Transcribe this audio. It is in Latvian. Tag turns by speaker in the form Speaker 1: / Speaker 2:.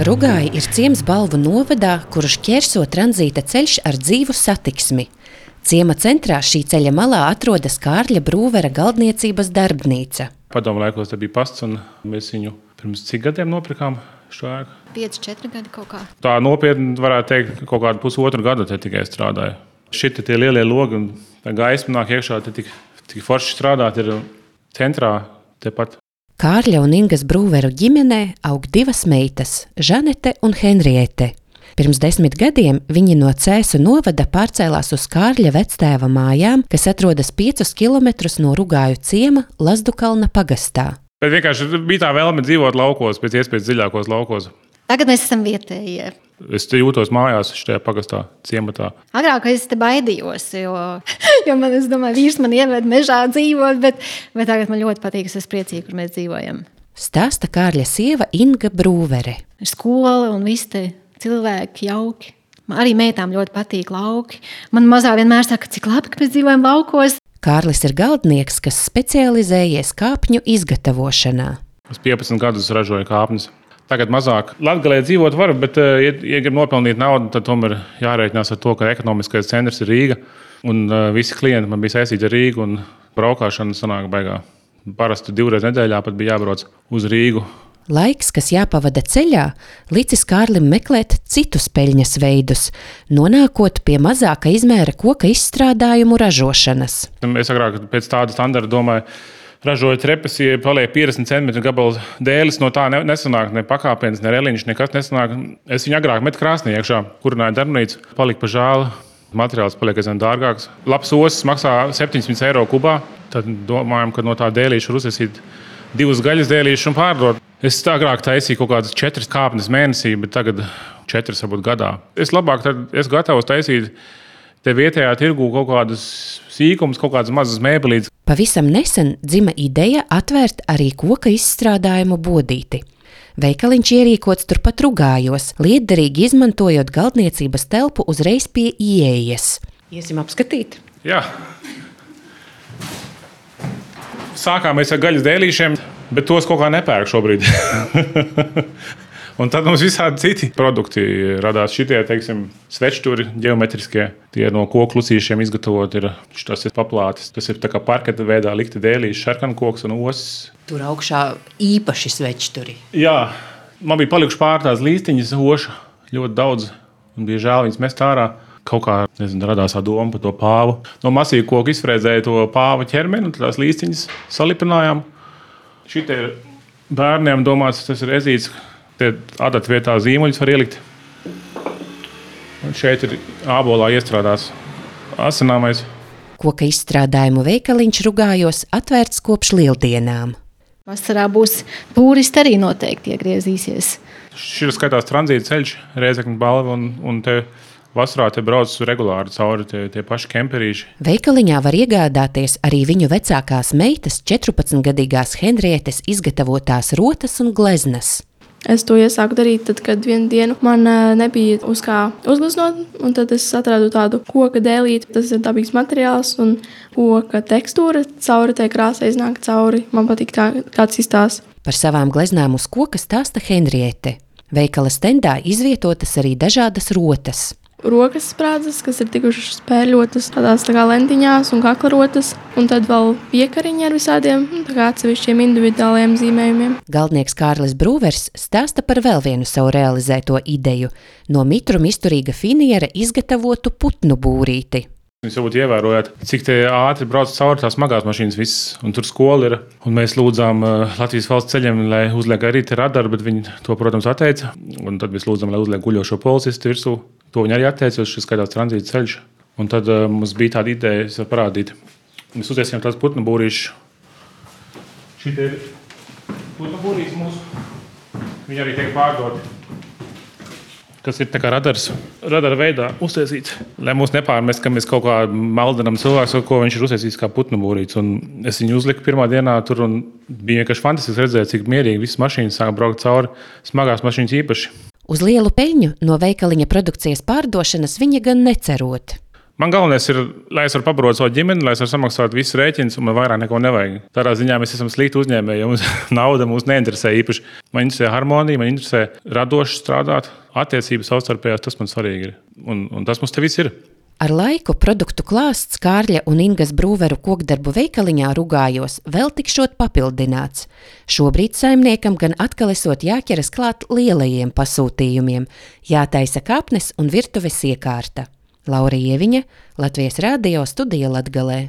Speaker 1: Rugāji ir ciems Balvu novadā, kuru šķērso tranzīta ceļš ar dzīvu satiksmi. Ciema centrā šī ceļa malā atrodas Kārļa Brūvera galdniecības darbnīca.
Speaker 2: Padomu laikos te bija pasts, un mēs viņu pirms cik gadiem nopirkām šo ēku?
Speaker 3: 5-4 gadi kaut kā.
Speaker 2: Tā nopietni varētu teikt, kaut kādu pusotru gadu te tikai strādāju. Šiti tie lielie logi un tā gaisma nāk iekšā, te tik forši strādāt ir centrā tepat.
Speaker 1: Kārļa un Ingas Brūveru ģimenē aug divas meitas – Žanete un Henriete. Pirms 10 gadiem viņi no Cēsu novada pārcēlās uz Kārļa vectēva mājām, kas atrodas 5 kilometrus no Rugāju ciema Lazdukalna pagastā.
Speaker 2: Bet vienkārši bija tā vēlme dzīvot laukos, pēc iespējas dziļākos laukos.
Speaker 3: Tagad mēs esam vietējie.
Speaker 2: Es te jūtos mājās šajā pagastā, ciematā.
Speaker 3: Agrāk es te baidījos, jo man, es domāju, vīrs man ieved mežā dzīvot, bet tagad man ļoti patīk, es esmu priecīga, kur mēs dzīvojam.
Speaker 1: Stāsta Kārļa sieva Inga Brūvere.
Speaker 3: Skola un visi te cilvēki jauki. Man arī meitām ļoti patīk lauki. Man mazā vienmēr saka, cik labi, ka mēs dzīvojam laukos.
Speaker 1: Kārlis ir galdnieks, kas specializējies kāpņu izgatavošanā.
Speaker 2: Es 15 gadus ražoju kāpnes. Tagad mazāk. Latgalē dzīvot var, bet, ja grib nopelnīt naudu, tad tomēr jārēķinās ar to, ka ekonomiskais centrs ir Rīga. Un visi klienti man bija saistīti ar Rīgu, un braukšana sanāk baigā. Parasti 2 reizes nedēļā pat bija jābrauc uz Rīgu.
Speaker 1: Laiks, kas jāpavada ceļā, licis Kārlim meklēt citus peļņas veidus, nonākot pie mazāka izmēra koka izstrādājumu ražošanas.
Speaker 2: Es agrāk pēc tāda standarta domāju, ražoju trepes, ja paliek 50 cm gabals dēlis, no tā nesanāk ne pakāpienas, ne reliņš, nekas nesanāk. Es viņu agrāk metu krāsnī iekšā, kurināju darbnīcu, palika pa žēlu, materiāls paliek aizvien dārgāks. Labs osis maksā 700 eiro kubā, tad domājam, ka no tā dēlīša var uzsasīt 2 gaļas dēlīšus un pārdot. Es agrāk taisīju kaut kādas 4 kāpnes mēnesī, bet tagad 4 varbūt gadā. Es labāk tad esmu gatavs taisīt te vietējā tirgū kaut kādas sīkumus, kaut kādas mazas mēbelītes.
Speaker 1: Pavisam nesen dzima ideja atvērt arī koka izstrādājumu bodīti. Veikaliņš ierīkots turpat Rugājos, lietderīgi izmantojot galdniecības telpu uzreiz pie ieejas. Iesim apskatīt?
Speaker 2: Jā. Sākāmies ar gaļas dēlīšiem, bet tos kaut kā nepērk šobrīd. Un tad mums visādi citi produkti radās. Šitie, teiksim, svečturi ģeometriskie, tie no koku lucīšiem izgatavot ir. Tas ir paplātis, tas ir tā kā parketa veidā likti dēlīši, šarkankoks un osis.
Speaker 1: Tur augšā īpaši svečturi.
Speaker 2: Jā, man bija palikuši pār tās līstiņas oša ļoti daudz un bija žēl viņas mest ārā. Kaut kā, radās doma par to pāvu. No masīva koka izfrēzēja to pāva ķermeni un tās līstiņas salipinājām. Šitie ir bērniem domāts, tas ir ezīts. Te adata vietā zīmuļus var ielikt. Un šeit ir ābolā iestrādās asināmais.
Speaker 1: Koka izstrādājumu veikaliņš Rugājos atvērts kopš lieldienām.
Speaker 3: Vasarā būs tūristi arī noteikti iegriezīsies.
Speaker 2: Šis skaitās tranzīta ceļš, Rēzekņa Balva, un te vasarā te brauc regulāri cauri tie paši kemperīši.
Speaker 1: Veikaliņā var iegādāties arī viņu vecākās meitas 14-gadīgās Henrietes izgatavotās rotas un gleznas.
Speaker 4: Es to iesāku darīt, tad, kad vienu dienu man nebija uz kā uzgleznot, un tad es atradu tādu koka dēlīti. Tas ir dabīgs materiāls un koka tekstūra cauri tai krāsai iznāk cauri. Man patīk tā, kāds izstāsta.
Speaker 1: Par savām gleznām uz koka stāsta Henriete. Veikala stendā izvietotas arī dažādas rotas.
Speaker 4: Rokas sprādzes, kas ir tikušas spērļotas tādās tā kā lentiņās un kaklarotas, un tad vēl piekariņi ar visādiem tā kā atsevišķiem individuāliem zīmējumiem.
Speaker 1: Galdnieks Kārlis Brūvers stāsta par vēl vienu savu realizēto ideju – no mitruma izturīga finiera izgatavotu putnu būrīti.
Speaker 2: Jūs varbūt ievērojāt, cik te ātri brauc cauri tās smagās mašīnas visas, un tur skola ir. Un mēs lūdzām Latvijas valsts ceļiem, lai uzliek arī te radaru, bet viņi to, protams, atteica. Un tad mēs lūdzām, lai uzliek guļošo policistu virsū. To viņi arī atteica, šis skaitās tranzīta ceļš. Un tad mums bija tāda ideja parādīt. Mēs uztaisījām tās putnu būrīšus. Šitie ir putnu būrīši mūsu. Viņi arī tiek pārdoti. Kas ir tā kā radara veidā uztaisīts. Lai mūs nepārmest, ka mēs kaut kā maldinām cilvēks, ko viņš ir uztaisījis kā putnu būrīts. Un es viņu uzliku pirmā dienā tur un bija vienkārši fantastisks redzēt, cik mierīgi visas mašīnas sāka braukt cauri, smagās mašīnas īpaši.
Speaker 1: Uz lielu peļņu no veikaliņa produkcijas pārdošanas viņa gan necerot.
Speaker 2: Man galvenais ir, lai es varu pabarot savu ģimeni, lai es varu samaksāt visus rēķinus, un man vairāk neko nevajag. Tādā ziņā mēs esam slikti uzņēmēji, jo mums nauda mūs neinteresē īpaši. Man interesē harmonija, man interesē radoši strādāt, attiecības savstarpējās, tas man svarīgi ir. Un tas mums te viss ir.
Speaker 1: Ar laiku produktu klāsts Kārļa un Ingas Brūveru kokdarbu veikaliņā Rugājos vēl tikšot papildināts. Šobrīd saimniekam gan atkal esot jāķeras klāt lielajiem pasūtījumiem, jātaisa kapnes un virtuves iekārta. Laura Ieviņa, Latvijas Radio, Studija Latgalē.